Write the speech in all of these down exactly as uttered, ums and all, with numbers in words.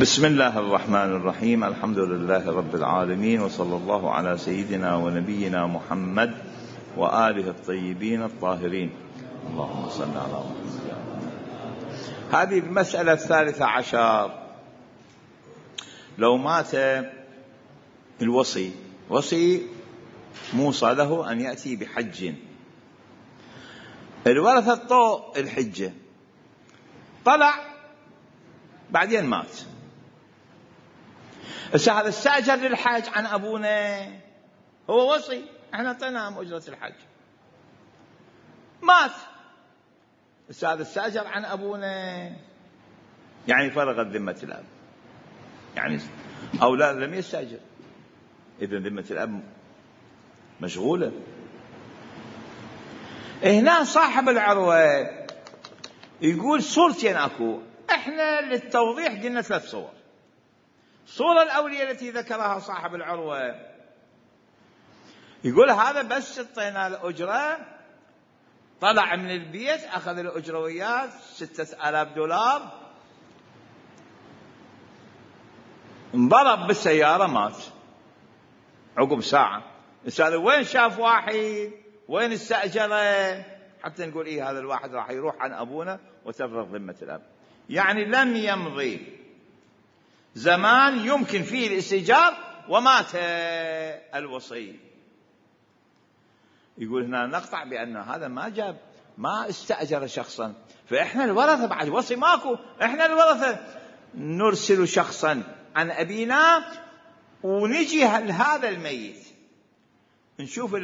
بسم الله الرحمن الرحيم. الحمد لله رب العالمين، وصلى الله على سيدنا ونبينا محمد وآله الطيبين الطاهرين. اللهم صل على محمد. هذه المسألة الثالثة عشر. لو مات الوصي، وصي موصى له أن يأتي بحج، الورثة طوء الحجة، طلع بعدين مات. هسه هذا استأجر للحج عن أبونا، هو وصي، احنا اعطيناه أجرة الحج، مات. هسه هذا استأجر عن أبونا، يعني فرغت ذمة الأب، يعني أولاد لم يستأجر، إذن ذمة الأب مشغولة. هنا صاحب العروة يقول صورتين أكو، احنا للتوضيح قلنا ثلاث صور. الصورة الأولية التي ذكرها صاحب العروة يقول هذا بس اعطينا الأجرة، طلع من البيت أخذ الأجرة وياه ستة آلاف دولار، انضرب بالسيارة مات عقب ساعة. هذا وين شاف واحد، وين استأجره حتى نقول إيه هذا الواحد راح يروح عن أبونا وتفرغ ذمة الأب؟ يعني لم يمضي زمان يمكن فيه الاستئجار ومات الوصي. يقول هنا نقطع بأن هذا ما جاب، ما استأجر شخصا، فإحنا الورثة بعد وصي ماكو، إحنا الورثة نرسل شخصا عن أبينا ونجي لهذا الميت نشوف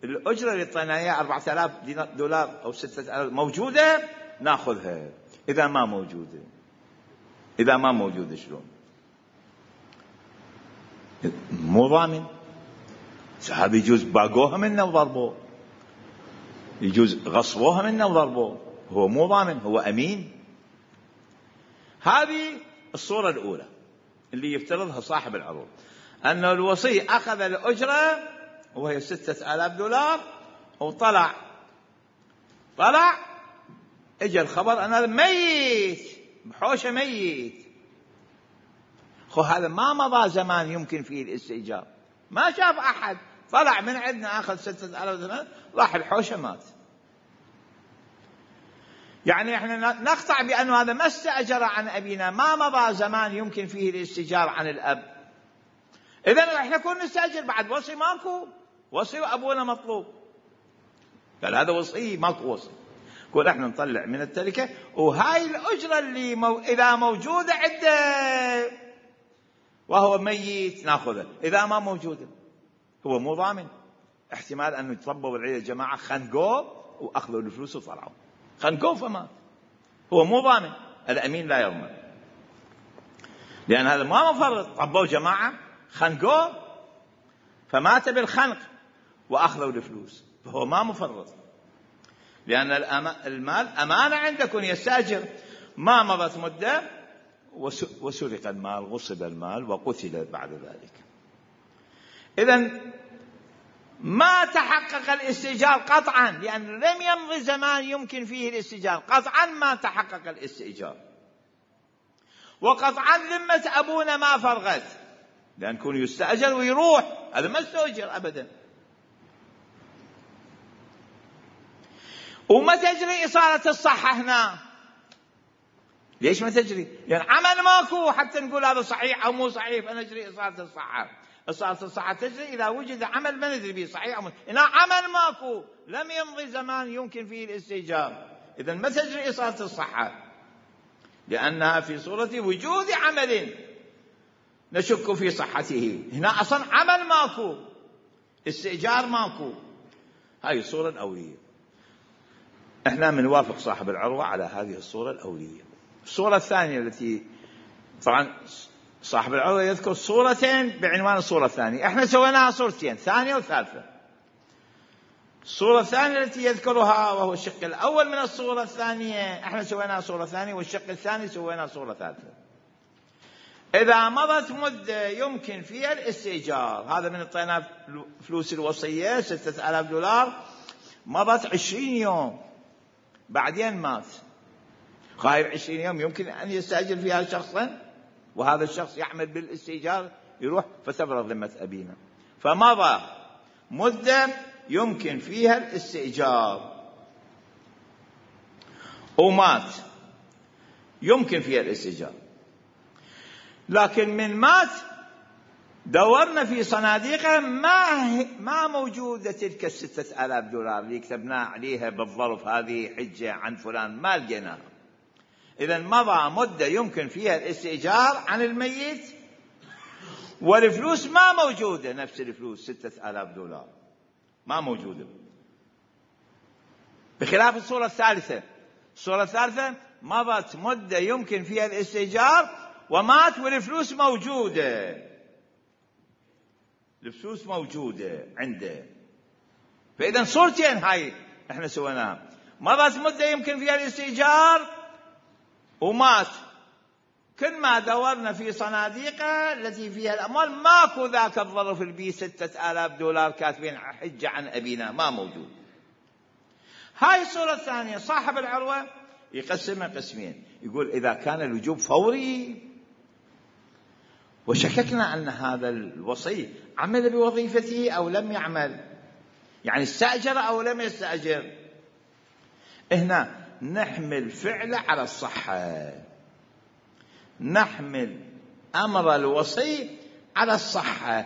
الأجرة اللي طلعنا إياها أربعة آلاف دولار أو ستة آلاف موجودة ناخذها، إذا ما موجودة إذا ما موجودة شلون؟ مو ضامن. هذا يجوز باقوها منا وضربوه، يجوز غصبوها منا وضربوه، هو مو ضامن، هو أمين. هذه الصورة الأولى اللي يفترضها صاحب العروض، أن الوصي أخذ الأجرة وهي ستة آلاف دولار وطلع طلع اجى الخبر أن هذا ميت بحوشة ميت. خو هذا ما مضى زمان يمكن فيه الاستئجار، ما شاف أحد، طلع من عندنا أخذ ستة آلاف دولار راح الحوشة مات. يعني احنا نقطع بأنه هذا ما استأجر عن أبينا، ما مضى زمان يمكن فيه الاستئجار عن الأب، إذن احنا كنا نستأجر بعد وصي ماكو، وصي وأبونا مطلوب، قال هذا وصي ماكو وصي، قول احنا نطلع من التركة وهاي الأجرة اللي مو... إذا موجودة عنده وهو ميت ناخذها، إذا ما موجودة هو مو ضامن، احتمال أنه يتربوا بالعيلة الجماعة خنقوه وأخذوا الفلوس وطلعوا، خنقوه فمات، هو مو ضامن، الأمين لا يضمن، لأن هذا ما مفرط، ربوا جماعة خنقوه فمات بالخنق وأخذوا الفلوس، فهو ما مفرط، لأن المال أمانة عندكم يستأجر، ما مضت مدة وسرق المال، غصب المال وقتل بعد ذلك. إذن ما تحقق الاستئجار قطعا، لأن لم يمضي زمان يمكن فيه الاستئجار، قطعا ما تحقق الاستئجار، وقطعا ذمة أبونا ما فرغت، لأن كون يستأجر ويروح هذا ما استأجر أبدا. وما تجري إصالة الصحة هنا، ليش ما تجري؟ لأن عمل ماكو حتى نقول هذا صحيح أو مو صحيح فنجري إصالة الصحة. إصالة الصحة تجري إذا وجد عمل ما ندري به صحيح أو مو، هنا عمل ماكو لم يمضي زمان يمكن فيه الاستئجار، إذن ما تجري إصالة الصحة، لأنها في صورة وجود عمل نشك في صحته، هنا أصلا عمل ماكو، استئجار ماكو. هاي الصورة الأولية، احنا منوافق صاحب العروة على هذه الصورة الأولية. الصورة الثانية التي طبعا صاحب العروة يذكر صورتين بعنوان الصورة الثانية، احنا سويناها صورتين، ثانية وثالثة. الصورة الثانية التي يذكرها وهو الشق الأول من الصورة الثانية، احنا سويناها صورة ثانية، والشق الثاني سويناها صورة ثالثة. إذا مضت مدة يمكن فيها الاستئجار، هذا من اعطينا فلوس الوصية ستة آلاف دولار، مضت عشرين يوم بعدين مات، هاي عشرين يوم يمكن أن يستأجر فيها شخصا؟ وهذا الشخص يعمل بالاستئجار يروح فتبرأ ذمة أبينا. فمضى مدة يمكن فيها الاستئجار ومات يمكن فيها الاستئجار، لكن من مات دورنا في صناديقه ما ما موجودة تلك الستة آلاف دولار اللي كتبنا عليها بالظرف هذه حجة عن فلان، ما لقيناها. إذن مضى مدة يمكن فيها الاستئجار عن الميت والفلوس ما موجودة، نفس الفلوس ستة آلاف دولار ما موجودة، بخلاف الصورة الثالثة. الصورة الثالثة مضت مدة يمكن فيها الاستئجار ومات والفلوس موجودة، الفلوس موجودة عنده. فإذا صورتين هاي احنا سويناها، مضت مدة يمكن فيها الاستئجار ومات، كل ما دورنا في صناديقه التي فيها الأموال ماكو ذاك الظرف البي ستة آلاف دولار كاتبين حجة عن أبينا، ما موجود. هاي الصورة الثانية صاحب العروة يقسمها قسمين، يقول إذا كان الوجوب فوري وشككنا أن هذا الوصي عمل بوظيفته أو لم يعمل، يعني استأجر أو لم يستأجر، هنا نحمل فعله على الصحة، نحمل أمر الوصي على الصحة.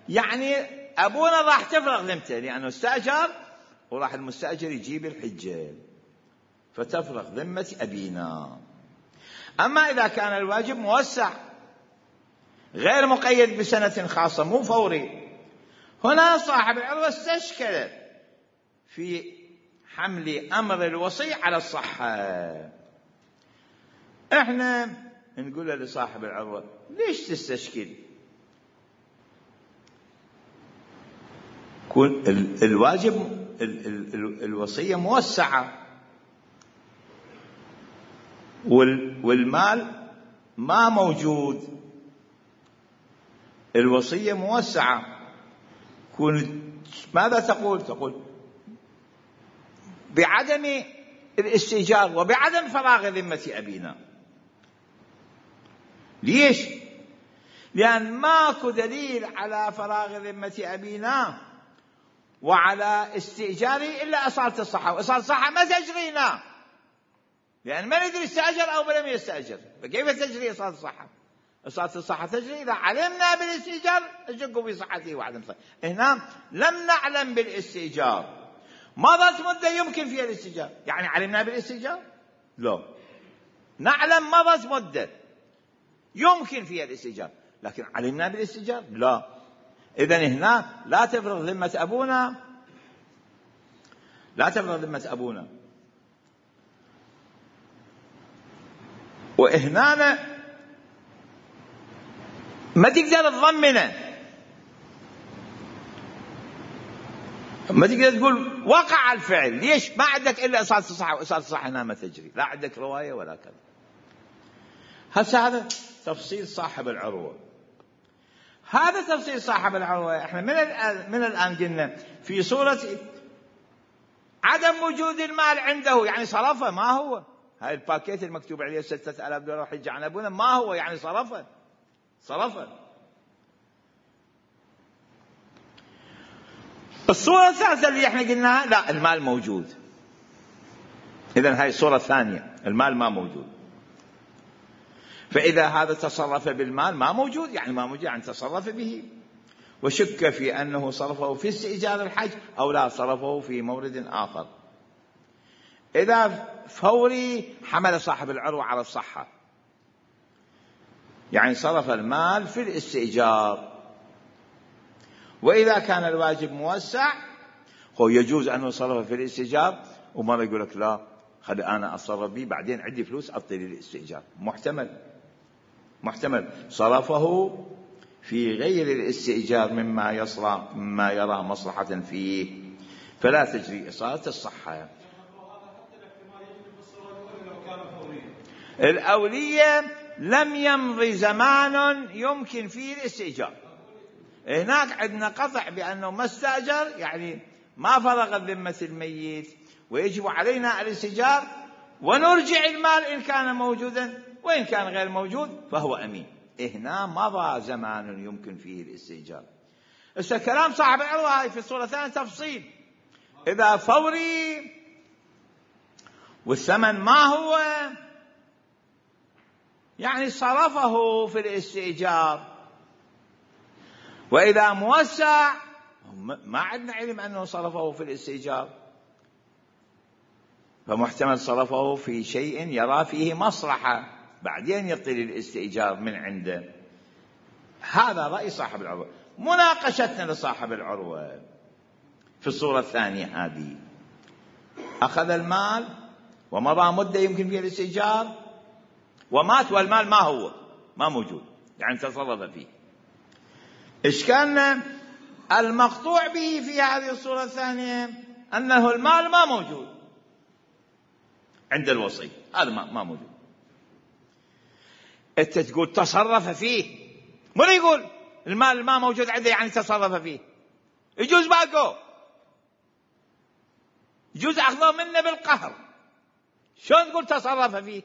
يعني أبونا راح تفرغ ذمته لأنه استأجر وراح المستأجر يجيب الحجة فتفرغ ذمة أبينا. أما إذا كان الواجب موسع غير مقيد بسنة خاصة مو فوري، هنا صاحب العروة استشكل في حمل أمر الوصي على الصحة. إحنا نقول لصاحب العروة ليش تستشكل؟ كون الواجب الوصية موسعة والمال ما موجود، الوصية موسعة، كون ماذا تقول؟ تقول بعدم الاستئجار وبعدم فراغ ذمة أبينا. ليش؟ لأن ماكو دليل على فراغ ذمة أبينا وعلى استئجاره إلا أصالة الصحة، وأصالة الصحة ما تجرينا، لأن ما ندري استأجر أو لم يستأجر، فكيف تجري أصالة الصحة؟ أصالة الصحة تجري إذا علمنا بالاستئجار نشك في صحته وعدم صحته. هنا لم نعلم بالاستئجار، مضت مدة يمكن فيها الاستئجار، يعني علمنا بالاستئجار؟ لا، نعلم مضت مدة يمكن فيها الاستئجار، لكن علمنا بالاستئجار؟ لا. إذن هنا لا تفرغ ذمة أبونا، لا تفرغ ذمة أبونا. وهنا ما تقدر تضمنه، ما تقدر تقول وقع الفعل. ليش؟ ما عندك إلا أصالة الصحة، وأصالة الصحة هنا ما تجري، لا عندك رواية ولا كذا. هسه هذا تفصيل صاحب العروة. هذا تفصيل صاحب العروة. احنا من الآن من الآن قلنا في صورة عدم وجود المال عنده، يعني صرفه، ما هو هاي الباكيت المكتوب عليه ستة آلاف دولار حجة عن أبونا، ما هو يعني صرفه صرفه. الصورة الثالثة اللي احنا قلناها لا، المال موجود. إذن هاي الصورة الثانية، المال ما موجود. فإذا هذا تصرف بالمال ما موجود، يعني ما موجود يعني تصرف به، وشك في أنه صرفه في استئجار الحج أو لا صرفه في مورد آخر. إذا فوري حمل صاحب العروة على الصحة، يعني صرف المال في الاستئجار. وإذا كان الواجب موسع هو يجوز أنه صرفه في الاستئجار، ومرة يقول لك لا خلي أنا أتصرف به بعدين عندي فلوس أعطي لي الاستئجار. محتمل محتمل صرفه في غير الاستئجار مما يصرى مما يرى مصلحة فيه، فلا تجري إصالة الصحة. الأولية لم يمضي زمان يمكن فيه الاستئجار، هناك عندنا قطع بأنه ما استأجر، يعني ما فرغ ذمة الميت ويجب علينا الاستئجار ونرجع المال إن كان موجودا، وإن كان غير موجود فهو أمين. هنا مضى زمان يمكن فيه الاستئجار. هسه كلام صاحب العروة هاي في الصورة الثانية تفصيل. إذا فوري والثمن ما هو يعني صرفه في الاستئجار، وإذا موسع ما عندنا علم أنه صرفه في الاستئجار، فمحتمل صرفه في شيء يرى فيه مصلحة بعدين يعطي للاستئجار من عنده. هذا رأي صاحب العروة. مناقشتنا لصاحب العروة في الصورة الثانية هذه: أخذ المال ومضى مدة يمكن فيها الاستئجار ومات والمال ما هو ما موجود، يعني تصرف فيه. إشكالنا المقطوع به في هذه الصورة الثانية أنه المال ما موجود عند الوصي، هذا ما موجود. أنت تقول تصرف فيه، من يقول المال ما موجود عنده يعني تصرف فيه؟ يجوز باقو، يجوز أخذه منه بالقهر. شلون تقول تصرف فيه؟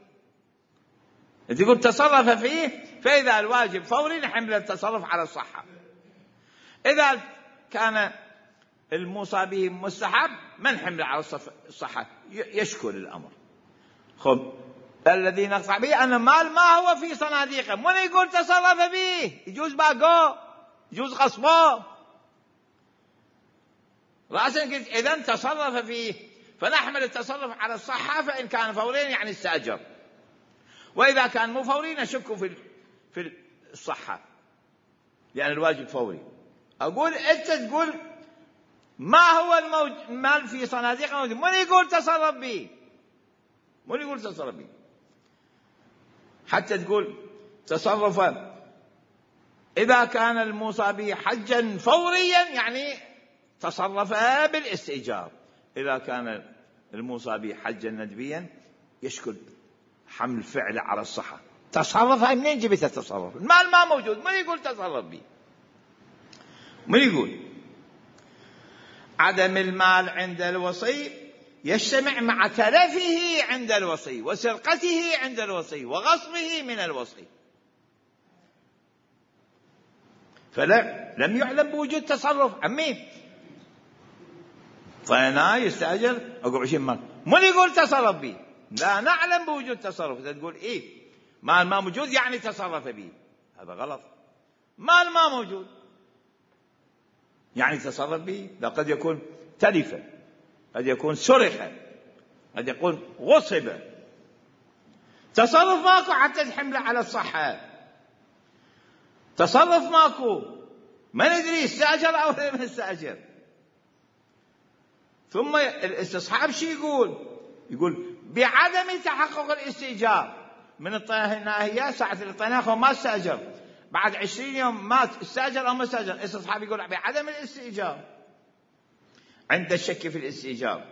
تقول تصرف فيه، فإذا الواجب فوري نحمل التصرف على الصحة. إذا كان الموصى به مستحب ما نحمل على الصحة، يشكل الأمر. خب الذي نقطع به أن المال ما هو في صناديقه، من يقول تصرف به؟ يجوز باقو، يجوز غصبه. رأسا قلت إذن تصرف فيه، فنحمل التصرف على الصحة، فإن كان فورين يعني استأجر، وإذا كان مو فوري نشك في في الصحة لأن الواجب فوري. أقول أنت تقول ما هو المال في صناديق موجود، من يقول تصرف به؟ من يقول تصرف به؟ حتى تقول تصرف إذا كان الموصى به حجا فوريا يعني تصرف بالاستئجار، إذا كان الموصى به حجا ندبيا يشكل حمل فعل على الصحة. تصرف هاي منين جبت التصرف؟ المال ما موجود، من يقول تصرف به؟ من يقول؟ عدم المال عند الوصي يجتمع مع تلفه عند الوصي وسرقته عند الوصي وغصبه من الوصي، فلا لم يعلم بوجود تصرف عمين. فأنا يستأجر أقول عشرين مال، من يقول تصرف به؟ لا نعلم بوجود تصرف. تقول إيه مال ما موجود يعني تصرف به، هذا غلط. مال ما موجود يعني تصرف به، لا قد يكون تلف، قد يكون سرق، قد يكون غصب. تصرف ماكو حتى تحمله على الصحة، تصرف ماكو، ما ندري استأجر أو لم يستأجر. ثم الاستصحاب شي يقول؟ يقول بعدم تحقق الاستئجار من الناهية ساعة الاطلاق وما استأجر، بعد عشرين يوم مات استأجر أو ما استأجر. الاستصحاب يقول بعدم الاستئجار عند الشك في الاستئجار،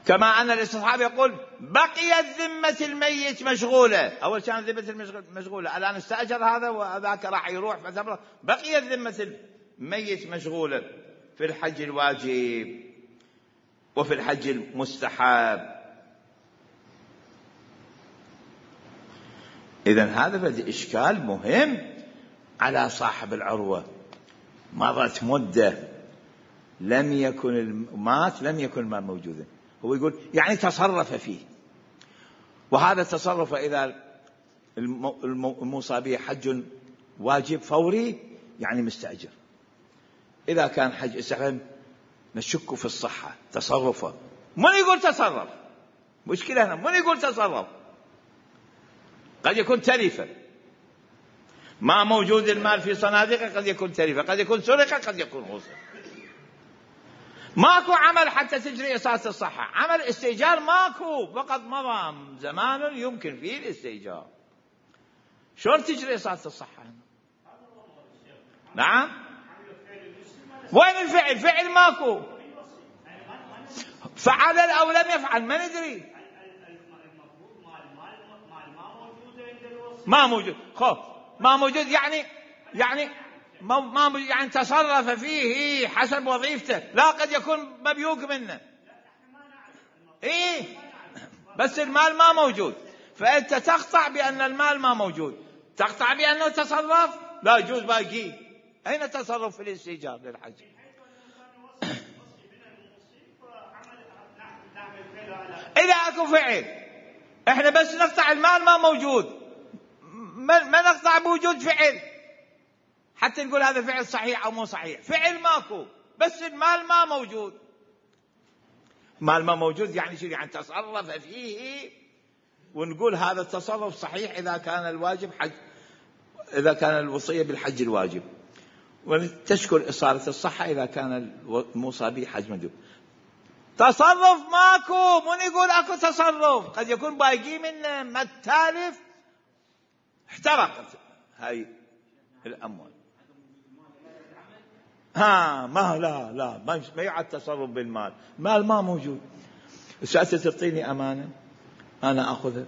كما أن الاستصحاب يقول بقيت ذمة الميت مشغولة. أول كان ذمة مشغولة، الآن استأجر هذا وذاك راح يروح، بقيت ذمة الميت مشغولة في الحج الواجب وفي الحج المستحب. إذن هذا بدأ إشكال مهم على صاحب العروة. مضت مدة لم يكن مات لم يكن المال موجودا، هو يقول يعني تصرف فيه، وهذا التصرف إذا الموصى به حج واجب فوري يعني مستأجر. إذا كان حج استحباب نشك في الصحة تصرفه. من يقول تصرف؟ مشكلة هنا، من يقول تصرف؟ قد يكون تلفة، ما موجود المال في صناديقه، قد يكون تلفة، قد يكون سرقة، قد يكون غصب. ماكو عمل حتى تجري أساس الصحة، عمل استئجار ماكو، فقط مضى زمان يمكن فيه الاستئجار. شلون تجري أساس الصحة هنا؟ نعم، وين الفعل؟ فعل ماكو، فعل أو لم يفعل ما ندري. ما موجود، خب ما موجود يعني يعني ما موجود يعني تصرف فيه حسب وظيفته، لا قد يكون مبيوق منه. ايه بس المال ما موجود، فأنت تقطع بأن المال ما موجود، تقطع بأنه تصرف لا يجوز باقي. أين تصرف في الاستئجار للحج؟ إذا أكو فعل إحنا بس نقطع المال ما موجود، ما نقطع بوجود فعل حتى نقول هذا فعل صحيح أو مو صحيح. فعل ماكو بس المال ما موجود. مال ما موجود يعني شو؟ يعني تصرف فيه ونقول هذا التصرف صحيح إذا كان الواجب حج، إذا كان الوصية بالحج الواجب، وتشكر إصالة الصحة إذا كان الموصى به حج مندوب. تصرف ماكو، من يقول أكو تصرف؟ قد يكون باقي منه ما التالف احترقت هاي الأموال. ها ما لا لا ما يعد تصرف بالمال، مال ما موجود. سألت تعطيني أمانة أنا أخذها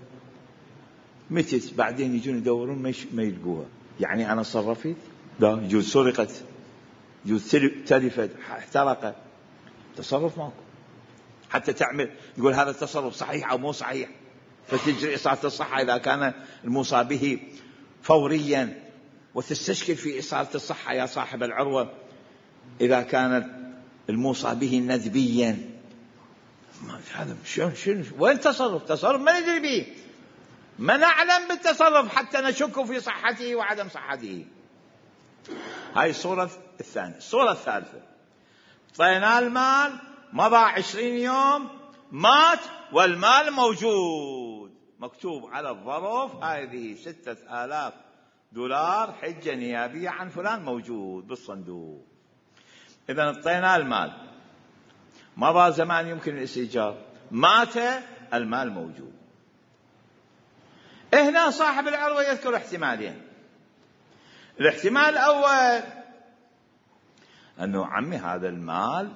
متت، بعدين يجون يدورون ما يلقوها، يعني أنا صرفت؟ لا، يجوز سرقت، يجوز تلفت، احترقت، تصرف ماكو. حتى تعمل يقول هذا التصرف صحيح أو مو صحيح، فتجري إصالة الصحة إذا كان الموصى به فوريا، وتستشكل في إصالة الصحة يا صاحب العروة إذا كان الموصى به ندبيا. هذا شنو شنو وين تصرف؟ تصرف ما ندري به، ما نعلم بالتصرف حتى نشك في صحته وعدم صحته. هاي الصورة الثانية. الصورة الثالثة، طينا المال، مضى عشرين يوم، مات والمال موجود، مكتوب على الظرف هذه ستة آلاف دولار حجة نيابية عن فلان، موجود بالصندوق. إذن طينا المال، مضى زمان يمكن الاستئجار، مات المال موجود. هنا صاحب العروة يذكر احتمالين. الاحتمال الأول أنه عمي هذا المال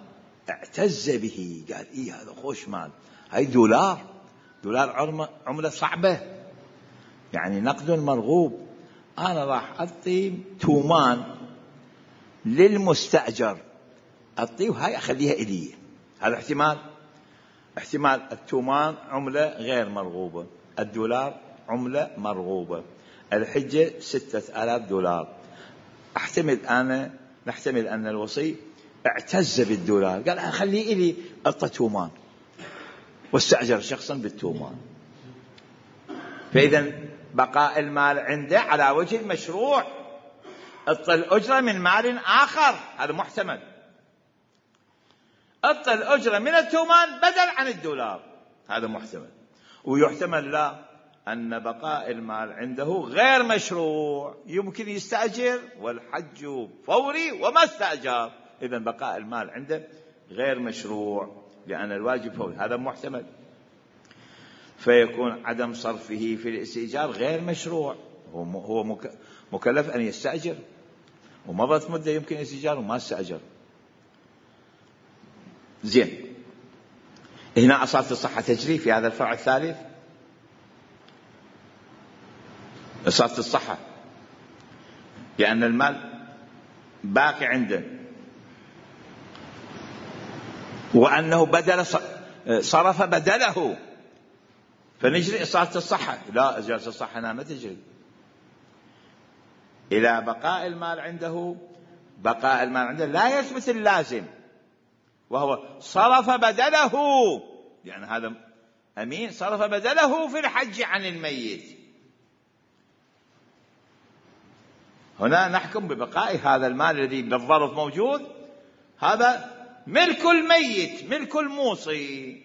اعتز به، قال إيه هذا خوش مال، هاي دولار، دولار عملة صعبة، يعني نقد مرغوب، أنا راح أعطي تومان للمستأجر، أعطيه هاي أخليها إلي. هذا احتمال. احتمال التومان عملة غير مرغوبة، الدولار عملة مرغوبة، الحجة ستة آلاف دولار. احتمل أنا نحتمل أن الوصي اعتز بالدولار، قال أخليه إلي، أعطى تومان واستأجر شخصا بالتومان. فإذا بقاء المال عنده على وجه المشروع، أعطى الأجرة من مال آخر، هذا محتمل. أعطى الأجرة من التومان بدل عن الدولار، هذا محتمل. ويحتمل لا، أن بقاء المال عنده غير مشروع، يمكن يستأجر والحج فوري وما استأجر، إذن بقاء المال عنده غير مشروع لأن الواجب فوري، هذا محتمل. فيكون عدم صرفه في الاستئجار غير مشروع، هو مكلف أن يستأجر، ومضت مدة يمكن الاستئجار وما استأجر. زين، هنا أصالة الصحة تجري في هذا الفرع الثالث. أصالة الصحة لأن المال باقي عنده، وأنه بدل صرف بدله، فنجري إصالة الصحة. لا، إصالة الصحة هنا ما تجري إلى بقاء المال عنده. بقاء المال عنده لا يثبت اللازم، وهو صرف بدله، يعني هذا أمين صرف بدله في الحج عن الميت. هنا نحكم ببقاء هذا المال الذي بالظرف موجود، هذا ملك الميت، ملك الموصي.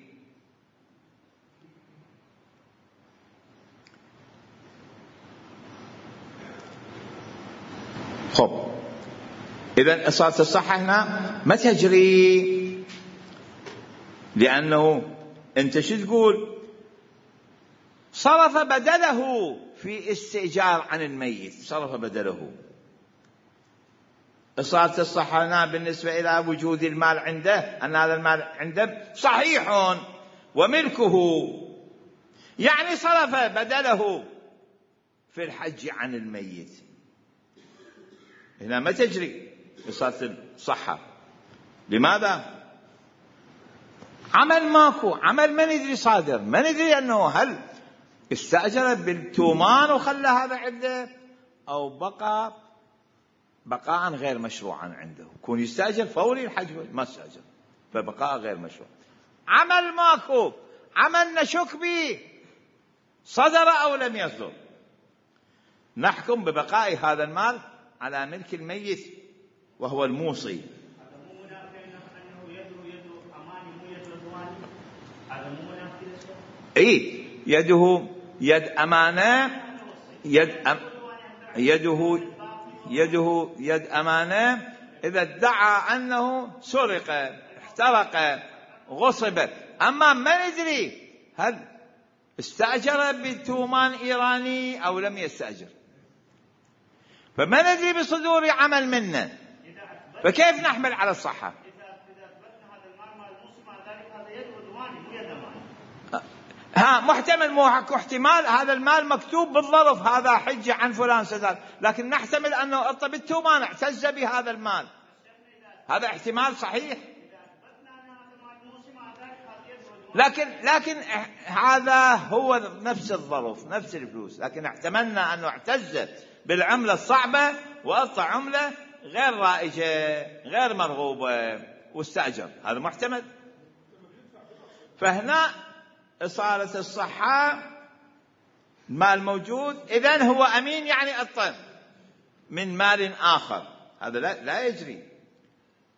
خب، إذن إصالة الصحة هنا ما تجري، لأنه أنت شو تقول؟ صرف بدله في استئجار عن الميت، صرف بدله. إصالة الصحة هنا بالنسبة إلى وجود المال عنده، أن هذا المال عنده صحيح وملكه، يعني صرف بدله في الحج عن الميت. هنا ما تجري إصالة الصحة. لماذا؟ عمل ماكو، عمل ما ندري صادر، ما ندري أنه هل استأجر بالتومان وخلى هذا عنده، أو بقى بقاء غير مشروعا عنده، يكون يستأجر فوري الحج ما استأجر، فبقاء غير مشروع. عمل ماكو، عمل نشك به صدر أو لم يصدر، نحكم ببقاء هذا المال على ملك الميت وهو الموصي. اي يده يد أمانة، يد أم يده يده يد أمانة إذا ادعى أنه سرق، احترق، غصب. أما ما ندري هل استأجر بالتومان إيراني أو لم يستأجر، فما ندري بصدور عمل منه، فكيف نحمل على الصحة؟ ها محتمل، مو احتمال هذا المال مكتوب بالظرف هذا حجة عن فلان سداد، لكن نحتمل أنه أطلب التومان اعتز بهذا المال، هذا احتمال صحيح. لكن لكن هذا هو نفس الظرف نفس الفلوس، لكن احتملنا أنه اعتز بالعملة الصعبة وأعطى عملة غير رائجة غير مرغوبة واستأجر، هذا محتمل. فهنا إصالة الصحة مال موجود، إذن هو أمين يعني أطلب من مال آخر، هذا لا, لا يجري،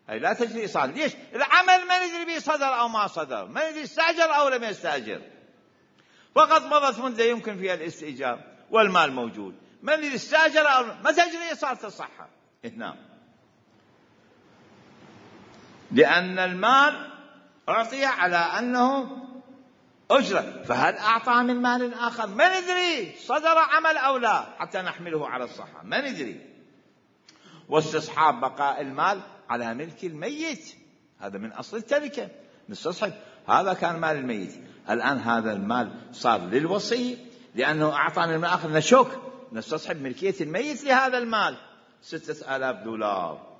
هي لا تجري إصالة. ليش؟ العمل ما ندري به صدر أو ما صدر، ما ندري استأجر أو لم يستأجر، فقط مضت مدة يمكن فيها الاستئجار والمال موجود، ما ندري استأجر أو ما تجري إصالة الصحة هنا، لأن المال أعطي على أنه أجرة، فهل أعطى من مال آخر ما ندري صدر عمل أو لا حتى نحمله على الصحة، ما ندري. واستصحاب بقاء المال على ملك الميت، هذا من أصل التركة، نستصحب هذا كان مال الميت، الآن هذا المال صار للوصي لأنه أعطى من آخر، نشك نستصحب ملكية الميت لهذا المال ستة آلاف دولار.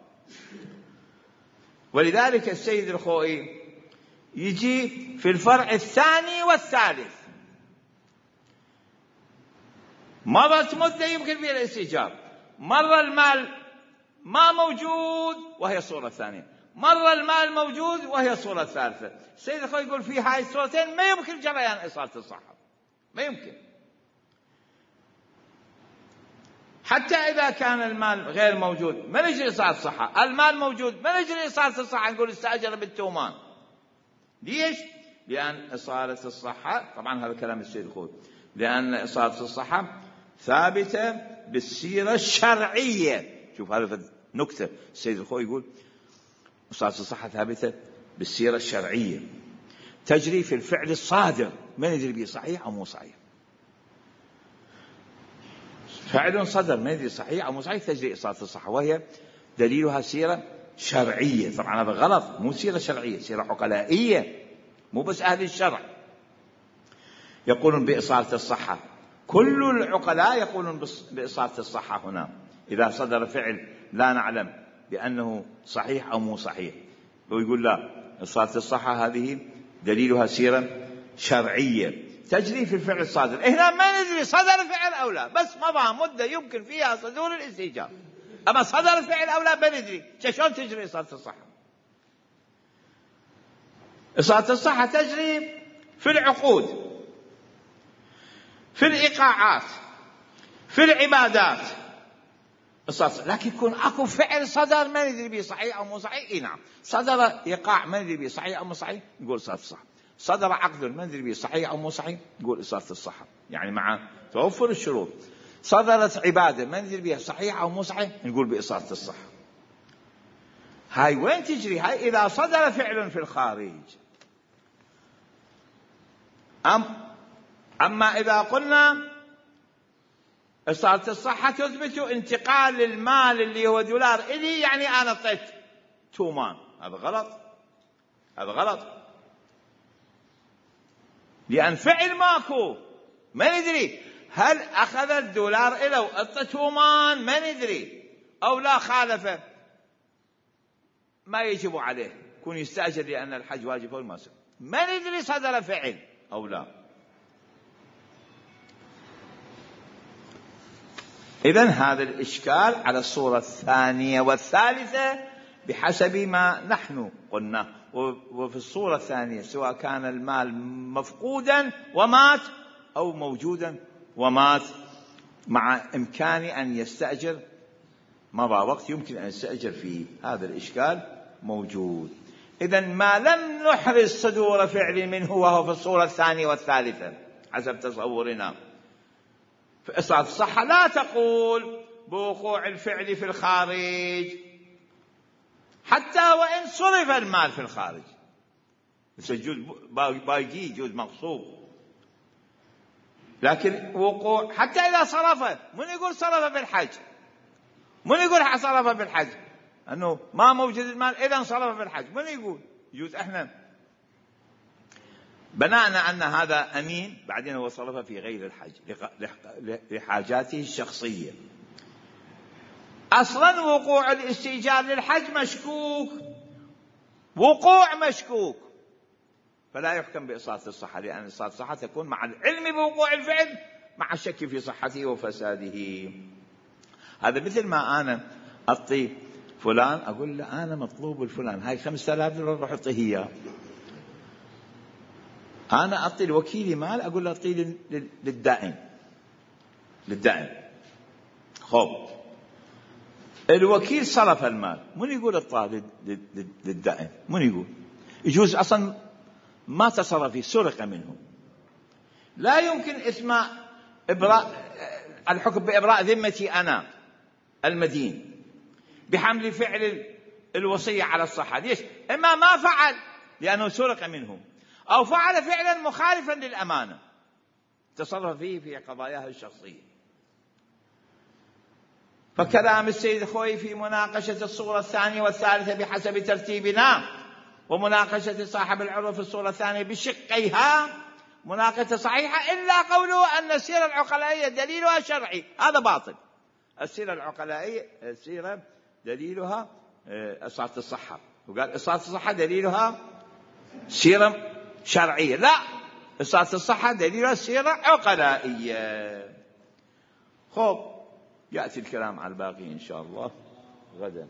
ولذلك السيد الخوئي يجي في الفرع الثاني والثالث، مرت مدة يمكن فيها الاستئجار، مرة المال ما موجود وهي الصورة الثانية، مرة المال موجود وهي الصورة الثالثة. السيد الخوئي يقول في هاي الصورتين ما يمكن جريان إصالة الصحة، ما يمكن، حتى إذا كان المال غير موجود ما نجري إصالة الصحة، المال موجود ما نجري إصالة الصحة، نقول استأجر بالتومان. ليش؟ لأن إصالة الصحة، طبعا هذا كلام السيد الخوئي، لأن إصالة الصحة ثابتة بالسيرة الشرعية. شوف هذا نكتة، السيد الخوئي يقول إصالة الصحة ثابتة بالسيرة الشرعية، تجري في الفعل الصادر ما ندري به صحيح أو مو صحيح، فعل صدر ما ندري صحيح أو مو صحيح تجري إصالة الصحة، وهي دليلها سيرة شرعية. طبعا هذا غلط، مو سيرة شرعية، سيرة عقلائية، مو بس أهل الشرع يقولون بإصالة الصحة، كل العقلاء يقولون بإصالة الصحة هنا إذا صدر فعل لا نعلم بأنه صحيح أو مو صحيح، ويقول لا، إصالة الصحة هذه دليلها سيرة شرعية تجري في الفعل الصادر. هنا ما ندري صدر فعل أو لا، بس مضى مدة يمكن فيها صدور الاستئجار، أما صدر فعل أو لا ما ندري، شلون تجري إصالة الصحة؟ إصالة الصحة تجري في العقود، في الإيقاعات، في العبادات، لكن يكون أكو فعل صدر ما ندري به صحيح أو مو صحيح. إيه نعم، صدر إيقاع ما ندري به صحيح أو مو صحيح، نقول إصالة الصحة. صدر عقد ما ندري به صحيح أو مو صحيح، نقول إصالة الصحة، يعني مع توفر الشروط. صدرت عبادة ما ندري بها صحيح أو مو صحيح، نقول بإصالة الصحة. هاي وين تجري؟ هاي إذا صدر فعل في الخارج. أم أما إذا قلنا إصالة الصحة تثبت انتقال المال اللي هو دولار إلي، يعني أنا أعطيت تومان، هذا غلط، هذا غلط، لأن فعل ماكو ما ندري هل أخذ الدولار إلى وأعطى تومان ما ندري، أو لا خالفه ما يجب عليه يكون يستأجر لأن الحج واجب أو ما ما ندري صدر فعل أو لا. إذن هذا الإشكال على الصورة الثانية والثالثة بحسب ما نحن قلنا. وفي الصورة الثانية سواء كان المال مفقودا ومات أو موجودا ومات، مع إمكان أن يستأجر، مضى وقت يمكن أن يستأجر فيه، هذا الإشكال موجود. إذن ما لم نحرز صدور فعل منه وهو في الصورة الثانية والثالثة حسب تصورنا. في إصالة الصحة لا تقول بوقوع الفعل في الخارج حتى وإن صرف المال في الخارج، يجوز باقي، يجوز مغصوب، لكن وقوع حتى إذا صرفه، من يقول صرفه في الحج؟ من يقول صرفه في الحج؟ أنه ما موجود المال إذا صرفه في الحج، من يقول؟ يجوز إحنا بناءنا أن هذا أمين، بعدين هو صرفه في غير الحج لحاجاته الشخصية. أصلا وقوع الاستئجار للحج مشكوك، وقوع مشكوك، فلا يحكم بإصالة الصحة، لأن إصالة الصحة تكون مع العلم بوقوع الفعل مع الشك في صحته وفساده. هذا مثل ما أنا أعطي فلان أقول له أنا مطلوب الفلان هاي خمسة آلاف دولار روح أعطيه إياه. أنا أعطي الوكيل مال أقول له أعطيه للدائن للدائن خب الوكيل صرف المال، من يقول الطالب للدائن؟ من يقول؟ يجوز أصلا ما تصرف فيه، سرق منه، لا يمكن إسماء إبراء الحكم بإبراء ذمتي أنا المدين بحمل فعل الوصية على الصحة. ليش؟ إما ما فعل لأنه سرق منه، أو فعل فعلا مخالفا للأمانة تصرف فيه في قضاياه الشخصية. فكلام السيد خوي في مناقشة الصورة الثانية والثالثة بحسب ترتيبنا، ومناقشة صاحب العروة في الصورة الثانية بشقيها مناقشة صحيحة، إلا قوله أن السيرة العقلائية دليلها شرعي، هذا باطل. السيرة العقلائية السيرة دليلها إصالة الصحة، وقال إصالة الصحة دليلها سيرة شرعية، لا، إصالة الصحة دليلها سيرة عقلائية. خب يأتي الكلام على الباقي إن شاء الله غدا.